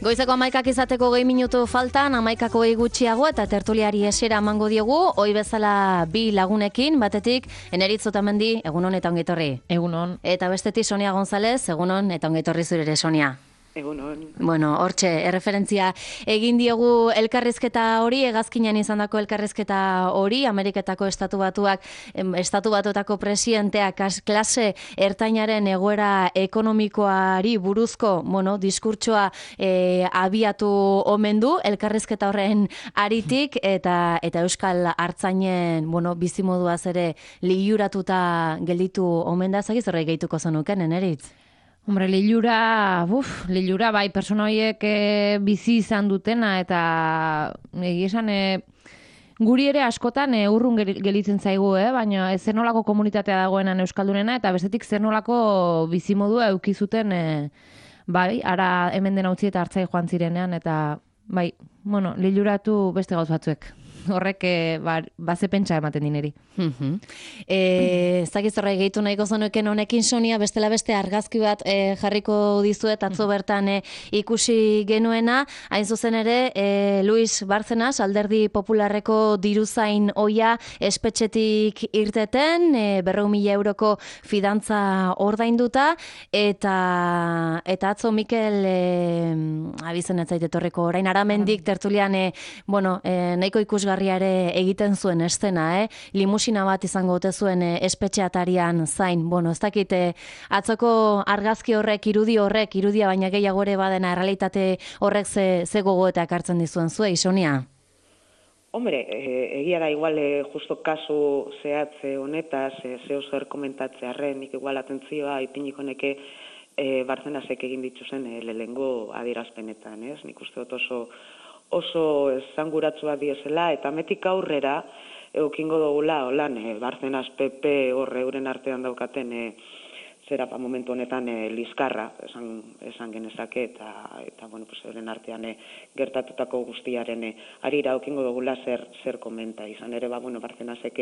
Goizeko 11 izateko 2 minutu faltan, 11 gutxiago eta tertuliari esera emango diogu, ohi bezala bi lagunekin, batetik Eneritz Otamendi, egunon eta ongi etorri. Egunon. Eta bestetik Sonia González, egunon eta ongi etorri zure ere, Sonia. Egunon. Bueno, hortxe, erreferentzia egin diogu elkarrizketa hori, hegazkinean izandako elkarrizketa hori, Ameriketako Estatu Batuetako presidenteak klase ertainaren egoera ekonomikoari buruzko, diskurtsoa abiatu omen du, elkarrizketa horren aritik, eta Euskal Artzainen, bizimoduaz ere liuratuta gelditu omen da, zagiz horrek gehituko zenuken, Eneritz? Hombre, lilura bai, persona horiek bizi izan dutena, eta esan guri ere askotan urrun gelitzen zaigu, baina zer nolako komunitatea dagoenan Euskaldunena, eta bestetik zer nolako bizimodua eukizuten, bai, ara hemen dena utzi eta hartzai joan zirenean, eta bai, liluratu beste gauz batzuek. Horrek baze pentsa ematen dineri. Zagiz horrek gehitu nahiko zenuken honekin, Sonia, bestela beste argazki bat jarriko dizuet atzo bertan ikusi genuena, hain zuzen ere Luis Bárcenas, Alderdi Popularreko diruzain ohia espetxetik irteten, 400.000 euroko fidantza ordainduta, eta atzo Mikel abizen ez zait etorriko orain Aramendik tertulian nahiko ikusgarria ere egiten zuen eszena, limusina bat izango ote zuen espetxe atarian zain. Ez dakit atzoko argazki horrek, irudia baina gehiago ere badena errealitate horrek ze gogoetak hartzen dizuen zuei, Sonia? Hombre, egia da igual justo kasu zehatze honetaz, zeo zer komentatzearren, nik igual atentzioa ipiniko neke Bárcenasek egin dituzen lehengo adierazpenetan, ez? Nik uste dut oso esanguratsua diesela, eta metik aurrera eukingo dugula, holan, Bárcenas PP horre euren artean daukaten momentu honetan liskarra, esan genezake, eta euren artean gertatutako guztiaren arira eukingo dugula zer komenta. Izan ere, Bárcenasek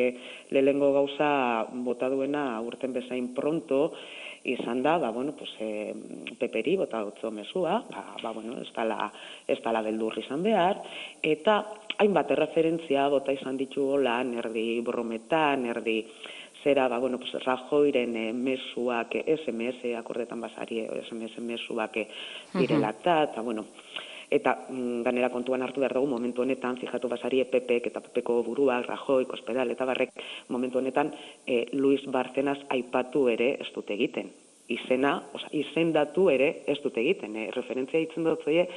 lehengo gauza bota duena urten bezain pronto, izan da, peperi bota dutzo mesua, ez dala beldurri izan behar, eta hainbat erreferentzia bota izan ditu holan, erdi brometan, erdi zera, Rajoyren mesuak, SMS akordetan basari, SMS mesuak direla eta ganera kontuan hartu behar dugu momentu honetan, fijatu basari PPek eta PPko buruak, Rajoy, Cospedal eta barrek, momentu honetan Luis Bárcenas aipatu ere ez dute egiten. Izendatu ere ez dute egiten. Referentzia hitzen dut zoie,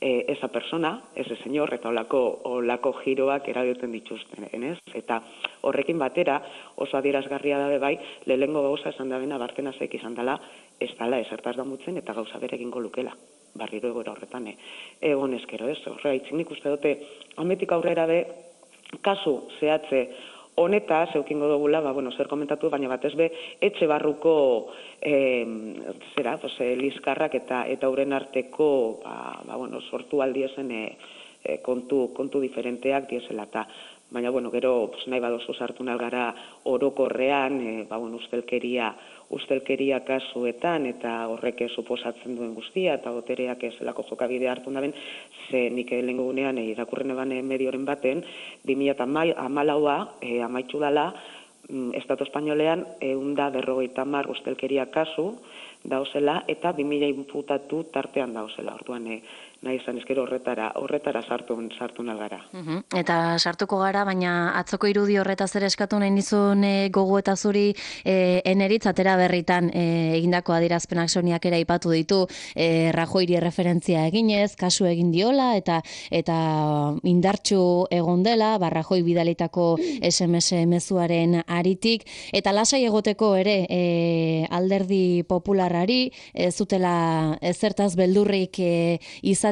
esa persona, ese señor, eta olako giroak erabiltzen dituzten, ez? Eta horrekin batera, oso adierazgarria dabe bai, lehengo gauza esan dabena Bárcenasek izan dela, ez dala esertaz damutzen eta gauza bere egingo lukela. Barriro egoera horretan, egon eskero, ez? Horregaitzik nik uste dute, ametik aurrera be, kasu zehatze honetaz, eukingo dugula, zer komentatu, baina batez be, etxe barruko liskarrak eta euren arteko, sortu aldiezen kontu diferenteak diesela eta baina, gero, nahi badozu sartu nalgara orokorrean, ustelkeria kasuetan, eta horrek suposatzen duen guztia, eta botereak zelako jokabide hartu daben, ze nik lehengo gunean irakurren eban medioren baten, 2014 amaitxu dala, Estatu Espainolean 150 ustelkeria kasu dauzela, eta 2000 inputatu tartean dauzela, orduan nahi izan ezkero horretara sartu nalgara. Eta sartuko gara, baina atzoko irudi horretaz ere eskatu nahi nizun gogo eta zuri Eneritz atera berritan egindako adierazpenak Soniak ere aipatu ditu, Rajoyri referentzia eginez, kasu egin diola, eta indartsu egon dela, Rajoy bidalitako SMS mezuaren aritik, eta lasai egoteko ere Alderdi Popularrari, ez zutela ezertaz beldurrik izateko,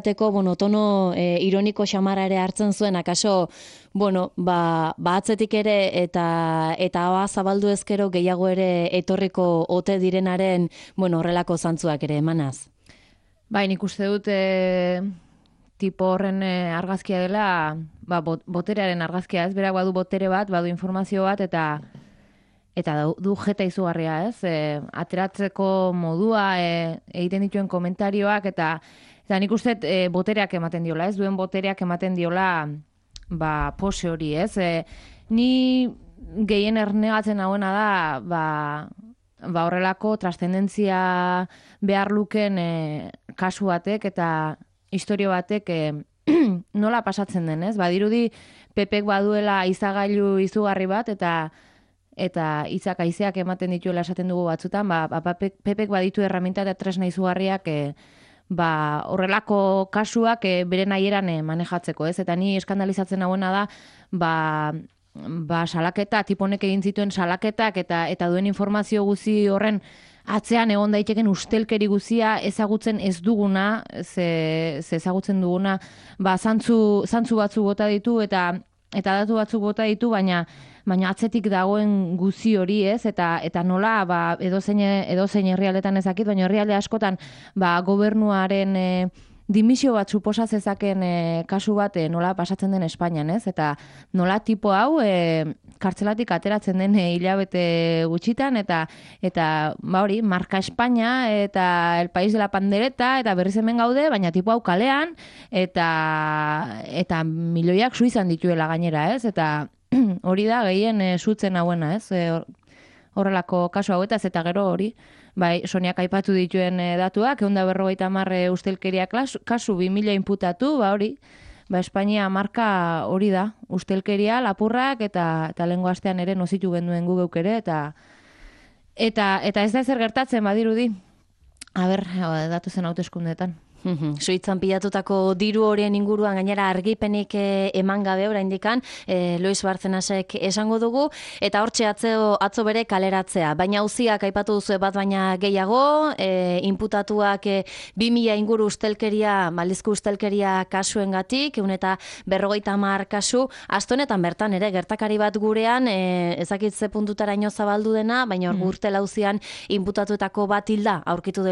tono ironiko xamara ere hartzen zuen, akaso, atzetik ere eta zabaldu ezkero gehiago ere etorriko ote direnaren, horrelako zantzuak ere emanaz. Bai, nik uste dut tipo horren argazkia dela, boterearen argazkia, ez? Berak badu botere bat, badu informazio bat, eta du jeta izugarria, ez? Ateratzeko modua, egiten dituen komentarioak, eta Eta nik uste botereak ematen diola, ez duen botereak ematen diola pose hori, ez? Ni gehien ernegatzen hauena da, horrelako trascendentzia behar luken kasu batek eta historio batek nola pasatzen den, ez? Badirudi Pepek baduela izagailu izugarri bat eta hitzak haizeak ematen dituela esaten dugu batzutan, Pepek baditu erraminta eta tresna izugarriak horrelako kasuak bere nahieran manejatzeko, ez? Eta ni eskandalizatzen hauena da salaketa, tiponek egin zituen salaketak eta duen informazio guzi horren atzean egon daiteken ustelkeri guzia ezagutzen ez duguna, ze ezagutzen duguna, zantzu batzuk bota ditu eta datu batzuk bota ditu, baina atzetik dagoen guzi hori, ez? Eta nola edozein herrialdetan ezakit, baina herrialde askotan gobernuaren dimisio bat suposa zezaken kasu bat nola pasatzen den Espainian, ez? Eta nola tipo hau kartzelatik ateratzen den hilabete gutxitan eta hori, marka Espainia eta el país de la pandereta eta berriz hemen gaude, baina tipo hau kalean eta milioiak suizan dituela gainera, ez? Eta hori da gehien zutzen hauena, ez? Horrelako kasu hauetaz eta gero hori, Soniak aipatu dituen datuak, 150 ustelkeria kasu 2000 inputatu, hori, Espainia marka hori da, ustelkeria, lapurrak eta lehengo astean ere nozitu genduen gu geuk ere, eta ez da ezer gertatzen badirudi. Datu zen hauteskundeetan. Suitzan pilatutako diru horien inguruan gainera argipenik eman gabe oraindikan Luis Bartzenasek esango dugu eta hortxe atzo bere kaleratzea. Baina auziak aipatu duzu bat baina gehiago, inputatuak 2000 inguru ustelkeria, maldizko ustelkeria kasuengatik, 150 kasu, astonetan bertan ere gertakari bat gurean, ezakitze puntutaraino zabaldu dena, baina Gürtel auzian inputatuetako bat hilda aurkitu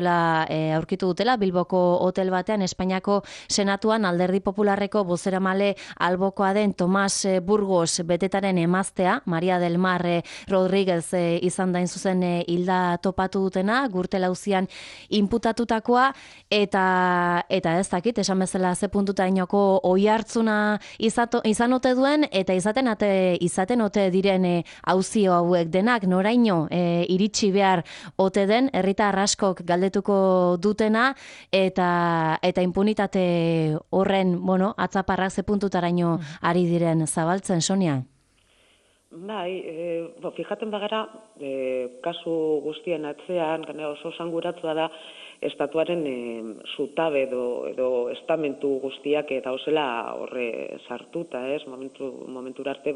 dutela Bilboko hotel batean Espainiako Senatuan Alderdi Popularreko bozeramale albokoa den Tomas Burgos betetaren emaztea, Maria del Mar Rodríguez izan da zuzen hilda topatu dutena, Gürtel auzian inputatutakoa eta ez dakit, esan bezala ze puntutainoko oihartzuna izan ote duen eta izaten ote diren auzio hauek denak noraino iritsi behar ote den herritar askok galdetuko dutena eta impunitate horren, atzaparrak ze puntutaraino ari diren zabaltzen, Sonia? Fijaten bagara, kasu guztien atzean, oso sanguratua da, estatuaren zutabe edo estamentu guztiak eta osela horre sartuta, ez? Momentura arte,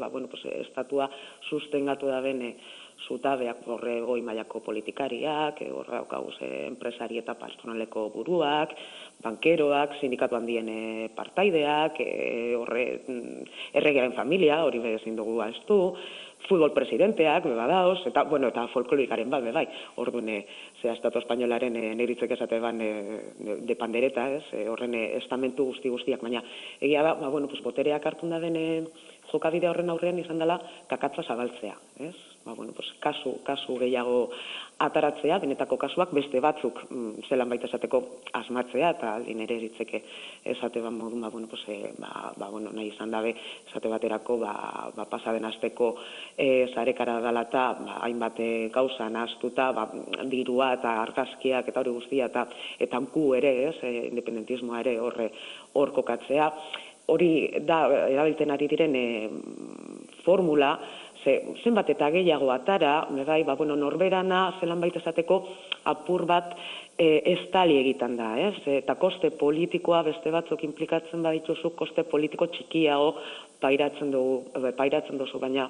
estatua sustengatu da bene zutabeak horre goi mailako politikariak, horre daukaguz enpresari eta patronaleko buruak, bankeroak, sindikatu handien partaideak, horre erregearen familia, hori bezin dugu aztu, futbol presidenteak, badaoz, eta folklorikaren bat, bai, orduan, estatu espainolaren neritzek esate ban de pandereta, horren estamentu guztiak, baina egia da, botereak hartun da den jokabide horren aurrean izan dela kakatza zabaltzea, ez? Kasu gehiago ataratzea, benetako kasuak beste batzuk zelan baita esateko asmatzea, eta aldin ere eritzeke esate ban modun, nahi izan dabe, esate baterako, pasaden asteko zarekara dala eta hainbat gauza nahaztuta, dirua eta argazkiak eta hori guztia, eta hanku ere, independentismoa ere hor kokatzea, hori da, erabiltzen ari diren formula, zenbat eta gehiago atara, norberana zelan baita esateko apur bat estali egiten da, eta koste politikoa beste batzuk implikatzen badituzu, koste politiko txikiago pairatzen duzu, baina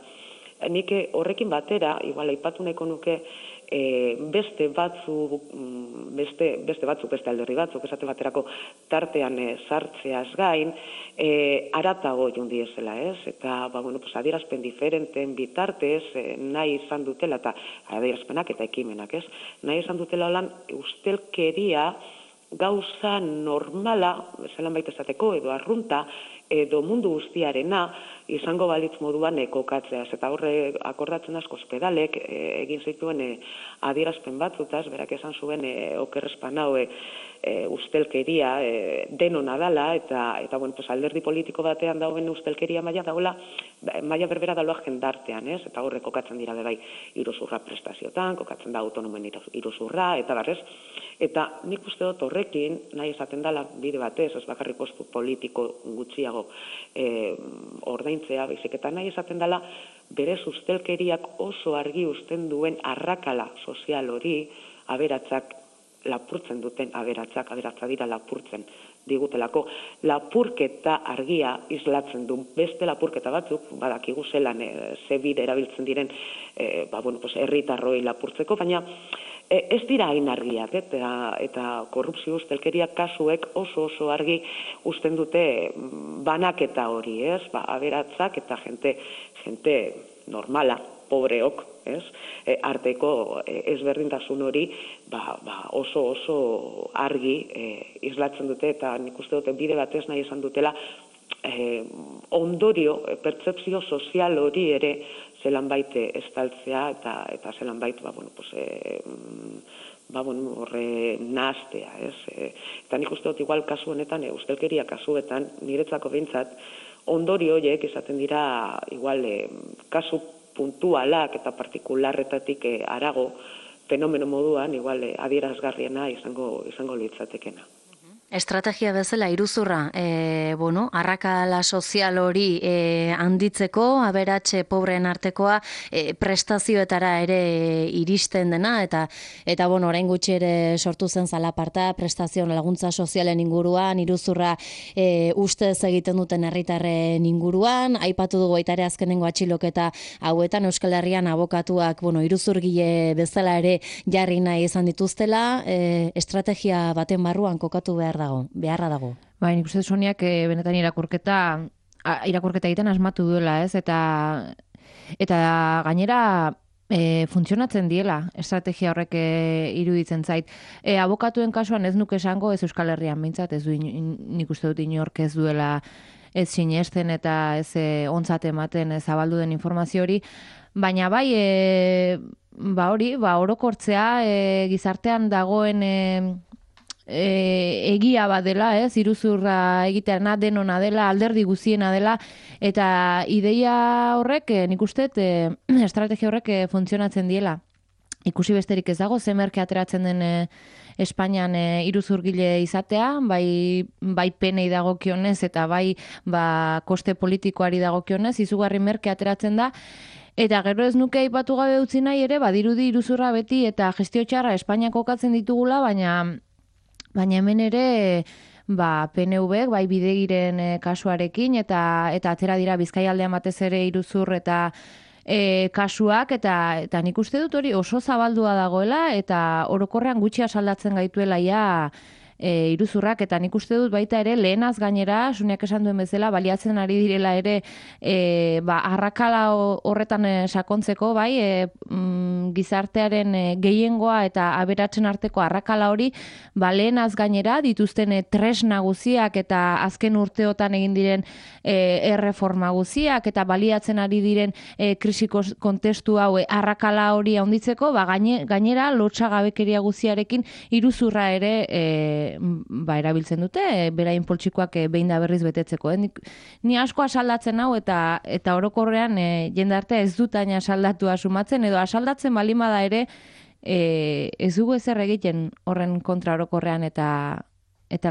nik horrekin batera, igual aipatu nahiko nuke, beste alderri batzuk, esate baterako tartean sartzeaz gain, aratago joan diezela, eta adierazpen diferenten bitartez nahi izan dutela, eta adierazpenak eta ekimenak, nahi izan dutela lan ustelkeria gauza normala, zelan baita esateko, edo arrunta, edo mundu guztiarena izango balitz moduan kokatzeaz. Eta horre akordatzen asko Ospedalek egin zituen adierazpen batzutaz, berak esan zuen oker espanau ustelkeria denona dala, eta bueno, pues alderdi politiko batean dauen ustelkeria maila dagoela, maila berbera daloa jendartean, ez? Eta horre kokatzen dira bai iruzurra prestaziotan, kokatzen da autonomen iruzurra, eta barrez. Eta nik uste dut horrekin, nahi esaten dela bide batez, ez bakarrik kostu politiko gutxiago ordaintzea, baizik eta nahi esaten dela bere ustelkeriak oso argi uzten duen arrakala sozial hori aberatsak lapurtzen duten aberatsa dira lapurtzen digutelako. Lapurketa argia islatzen du. Beste lapurketa batzuk, badakigu zelan ze bide erabiltzen diren herritarroi lapurtzeko, baina ez dira hain argiak, eta korrupzio ustelkeria kasuek oso argi uzten dute banaketa hori, ez? Aberatsak eta jente normala, pobreok, ez? Arteko ezberdintasun hori oso argi islatzen dute, eta nik uste dute bide batez nahi esan dutela ondorio, pertzepzio sozial hori ere zelan baite estaltzea, eta zelan baite, horre nahaztea, ez? Eta nik uste dut igual kasu honetan, ustelkeria kasuetan, niretzako behintzat, ondorio horiek izaten dira igual kasu puntualak eta partikularretatik harago fenomeno moduan igual adierazgarriena izango litzatekena. Estrategia bezala iruzurra, arrakala sozial hori handitzeko, aberatxe pobreen artekoa prestazioetara ere iristen dena, eta orain gutxi ere sortu zen zalaparta, prestazioen laguntza sozialen inguruan, iruzurra ustez egiten duten herritarren inguruan, aipatu dugu baita ere azkenengo atxiloketa hauetan Euskal Herrian abokatuak, iruzurgile bezala ere jarri nahi izan dituztela, estrategia baten barruan kokatu beharra dago. Bai, nik uste Soniak benetan irakurketa egiten asmatu duela, ez? Eta gainera funtzionatzen diela estrategia horrek iruditzen zait. Abokatuen kasuan ez nuke esango, ez Euskal Herrian behintzat, ez du nik uste dut inork ez duela ez sinesten eta ez ontzat ematen zabaldu den informazio hori, baina bai orokortzea gizartean dagoen egia bat dela, ez? Iruzurra egitearena denona dela, alderdi guziena dela, eta ideia horrek, nik uste, estrategia horrek funtzionatzen diela. Ikusi besterik ez dago, ze merke ateratzen den Espainian iruzurgile izatea, bai penei dagokionez eta bai koste politikoari dagokionez, izugarri merke ateratzen da. Eta gero ez nuke aipatu gabe utzi nahi ere, badirudi iruzurra beti eta gestio txarra Espainiak kokatzen ditugula, baina hemen ere PNV-ek bai bidegiren kasuarekin eta atera dira Bizkaialdean batez ere iruzur eta kasuak, eta nik uste dut hori oso zabaldua dagoela eta orokorrean gutxi asaldatzen gaituela iruzurrak, eta nik uste dut baita ere lehenaz gainera, Suniak esan duen bezala, baliatzen ari direla ere arrakala horretan sakontzeko, gizartearen gehiengoa eta aberatzen arteko arrakala hori, lehenaz gainera dituzten tresna guziak eta azken urteotan egin diren erreforma guziak eta baliatzen ari diren krisiko kontestu hau arrakala hori handitzeko, gainera lotsagabekeria guziarekin iruzurra ere erabiltzen dute, beraien poltsikoak behin da berriz betetzeko. Ni asko asaldatzen hau eta orokorrean jendartea ez dut aina asaldatua sumatzen, edo asaldatzen balimada ere ez dugu ezer egiten horren kontra orokorrean eta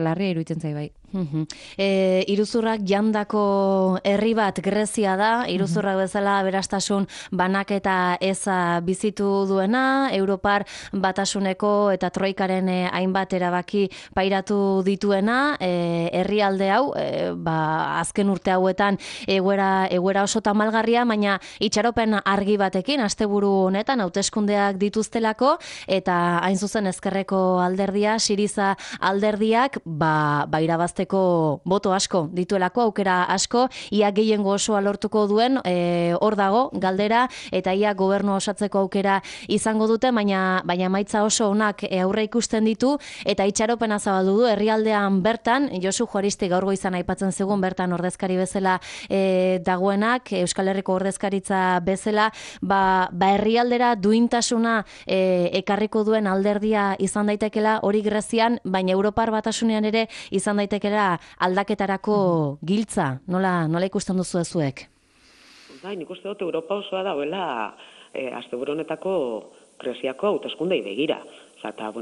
larria iruditzen zai bai. Iruzurrak jandako herri bat Grezia da, iruzurrak bezala aberastasun banaketa eza bizitu duena, Europar batasuneko eta troikaren hainbat erabaki pairatu dituena, herrialde hau, azken urte hauetan egoera oso tamalgarria, baina itxaropen argi batekin, asteburu honetan hauteskundeak dituztelako, eta hain zuzen ezkerreko alderdia, Siriza alderdiak, irabazten irabazteko boto asko dituelako, aukera asko, ia gehiengo osoa lortuko duen, hor dago galdera, eta ia gobernu osatzeko aukera izango dute, baina emaitza oso onak aurre ikusten ditu, eta itxaropena zabaldu du herrialdean bertan, Josu Juaristi gaur goizan aipatzen zigun bertan ordezkari bezala dagoenak, Euskal Herriko ordezkaritza bezala, herrialdera duintasuna ekarriko duen alderdia izan daitekela hori Grezian, baina Europar Batasunean ere izan daitekela aldaketarako giltza. Nola ikusten duzu zuek? Bai, nik uste dut Europa osoa dagoela asteburu honetako Greziako hauteskundei begira. Eta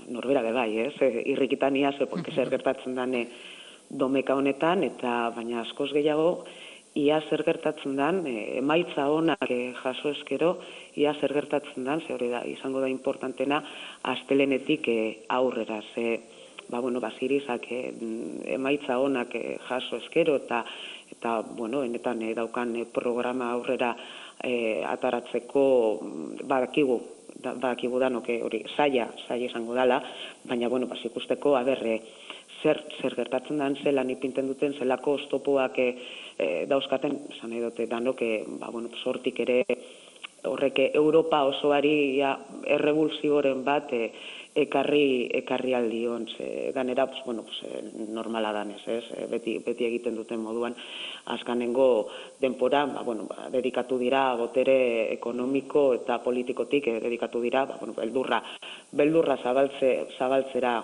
norbera be bai, irrikitan ia zer gertatzen den domeka honetan, eta baina askoz gehiago ia zer gertatzen den, emaitza honak jaso eskero, ia zer gertatzen den, ze hori da, izango da importantena, astelenetik aurrera, ze, Sirizak emaitza honak jaso eskero, eta enetan daukan programa aurrera ataratzeko badakigu danok hori zaila izango dela, baina, ikusteko, zer gertatzen den, zelan ipinten duten, zelako oztopoak dauzkaten, esan nahi dute danok, sortik ere horrek Europa osoari errebulsiboren bat ekarri aldion, ganera normala danez, beti egiten duten moduan, azkanengo denpora dedikatu dira botere ekonomiko eta politikotik dedikatu dira beldurra zabaltzera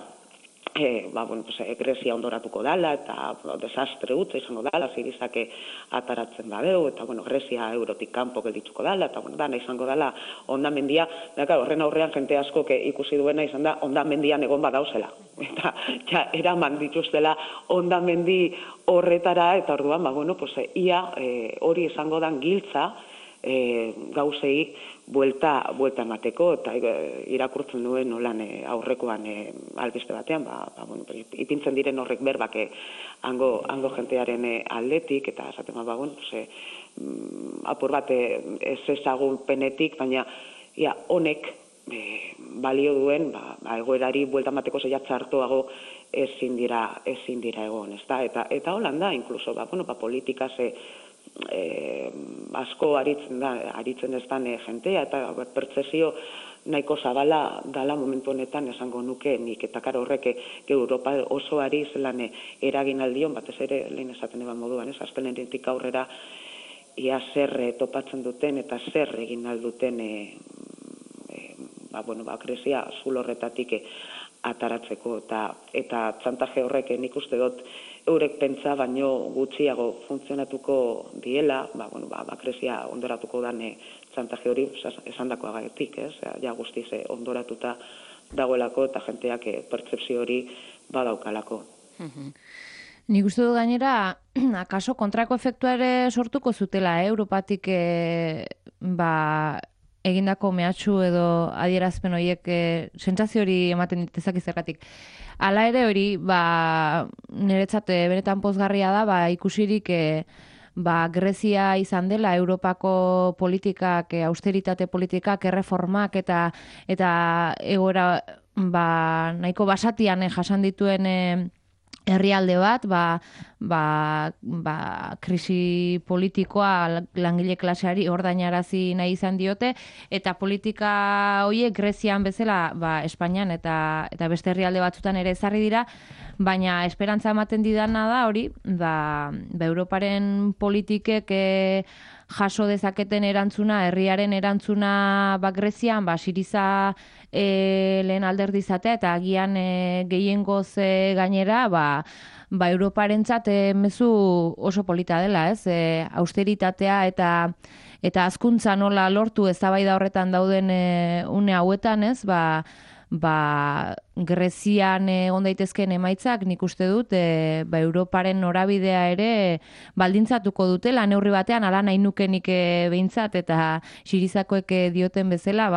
Grezia ondoratuko dela, eta desastre utza izango dela, Sirizak ataratzen badeu, eta Grezia eurotik kanpo geldituko dela, eta dana izango dela hondamendia, horren aurrean jente asko ikusi duena izan da hondamendian egon badauzela. Eta eraman dituztela hondamendi horretara, eta orduan, ia hori izango dan giltza gauzei buelta emateko, eta irakurtzen duen nolan aurrekoan albiste batean, ipintzen diren horrek berbak hango jentearen aldetik, eta esaten apur bat ez ezagun penetik, baina honek balio duen, egoerari buelta emateko zeia txartoago ezin dira egon, eta holan da, inkluso, politikaz asko aritzen ez dan jentea, eta pertsesio nahiko zabala dala momentu honetan esango nuke nik, eta horrek Europa osoari zelan eragin aldion, batez ere lehen esaten eban moduan, astelenetik aurrera ia zer topatzen duten eta zer egin alduten Grezia zulo horretatik ataratzeko, eta txantaje horrek nik uste dut eurek pentsa baino gutxiago funtzionatuko diela, Grezia ondoratuko dan txantaje hori esandakoagatik, ja guztiz ondoratuta dagoelako eta jenteak pertzepzio hori badaukalako. Nik uste du gainera, akaso kontrako efektua ere sortuko zutela, Europatik egindako mehatxu edo adierazpen horiek sentsazio hori ematen ditezak izergatik. Hala ere hori, niretzat benetan pozgarria da, ikusirik Grezia izan dela Europako politikak, austeritate politikak, erreformak eta egoera nahiko basatian jasan dituen herrialde bat, krisi politikoa langile klaseari ordainarazi nahi izan diote, eta politika horiek Grezian bezala Espainian eta beste herrialde batzutan ere ezarri dira, baina esperantza ematen didana da hori, Europaren politikek jaso dezaketen erantzuna, herriaren erantzuna Grezian, Siriza lehen alderdi izatea, eta agian gehiengoz gainera, Europarentzat mezu oso polita dela, austeritatea eta hazkuntza nola lortu eztabaida horretan dauden une hauetan, Grezian egon daitezkeen emaitzak nik uste dut Europaren norabidea ere baldintzatuko dutela neurri batean, ala nahi nukenik behintzat, eta Sirizakoek dioten bezala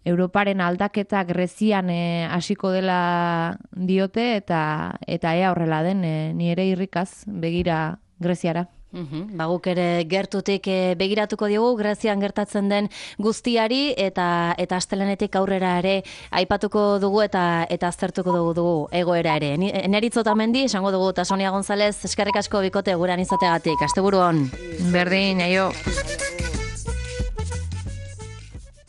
Europaren aldaketa Grezian hasiko dela diote, eta ea horrela den, ni ere irrikaz begira Greziara. Guk ere gertutik begiratuko diogu Grezian gertatzen den guztiari eta astelenetik aurrera ere aipatuko dugu eta aztertuko dugu egoera ere. Eneritz Otamendi esango dugu eta Sonia González eskerrik asko bikote gurean izateagatik. Asteburu on. Berdin, aio.